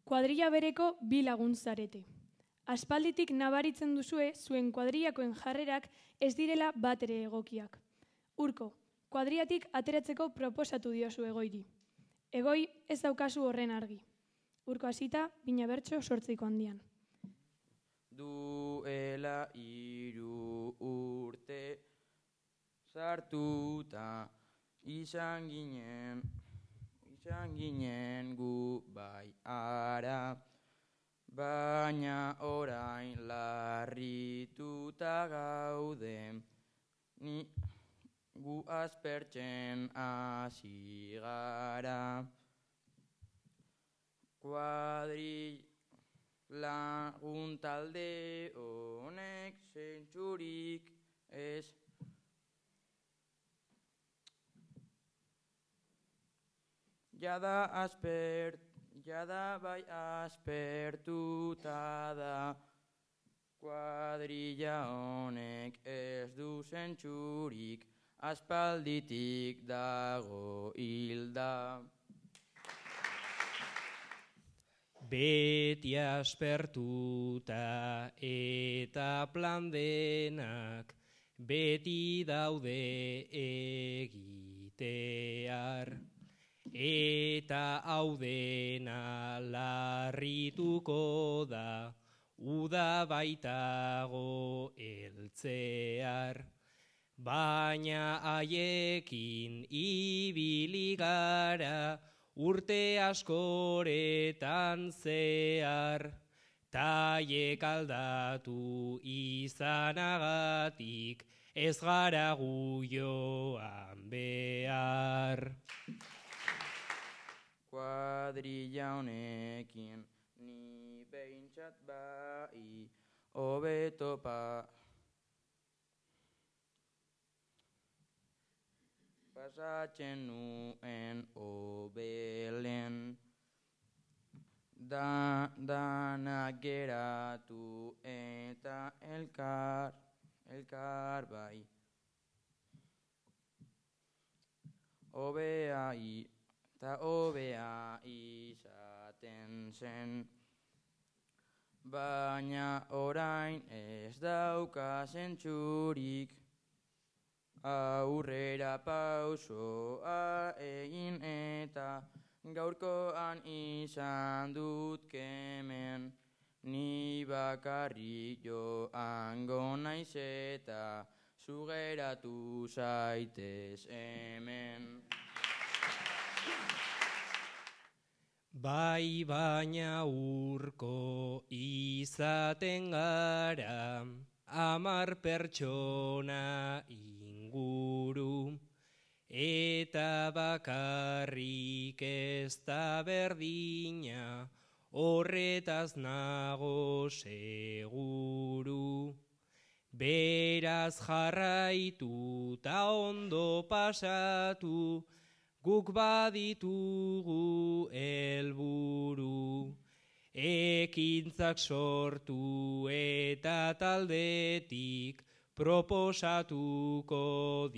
kuadrilla bereko bi lagun zarete. Aspalditik nabaritzen duzue zuen kuadrillakoen jarrerak ez direla batere egokiak. Urko, kuadrillatik ateratzeko proposatu diozu Egoiri. Egoi ez daukazu horren argi. Urko hasita, bina bertso 8 handian. Duela 3 urte sartuta izan ginen gu bai ara, baina orain larrituta gaude, gu aspertzen hasi gara. Lagun talde honek zentzurik ez. Jada bai aspertuta da, kuadrilla honek ez du zentzurik, aspalditik dago hilda. Beti aspertuta eta plan denak, beti daude egitear. Eta hau dena larrituko da, uda baitago heltzear. Baina haiekin ibili gara, urte askoretan zehar, taiek aldatu izanagatik, ez gara gu joan behar. Kuadrilla honekin ni behintzat bai hobeto pasatzen nuen hobelen, danak geratu eta elkar bai. Hobea izaten zen, baina orain ez dauka zentzurik. Aurrera pausoa egin eta gaurkoan izan dut kemen, ni bakarrik joango naiz eta zu geratu zaitez hemen. Bai baina Urko izaten gara, 10 pertsona inguru, eta bakarrik ez da berdina, horretaz nago seguru. Beraz jarraitu ta ondo pasatu, guk baditugu helburu. Ekintzak sortu eta taldetik proposatuko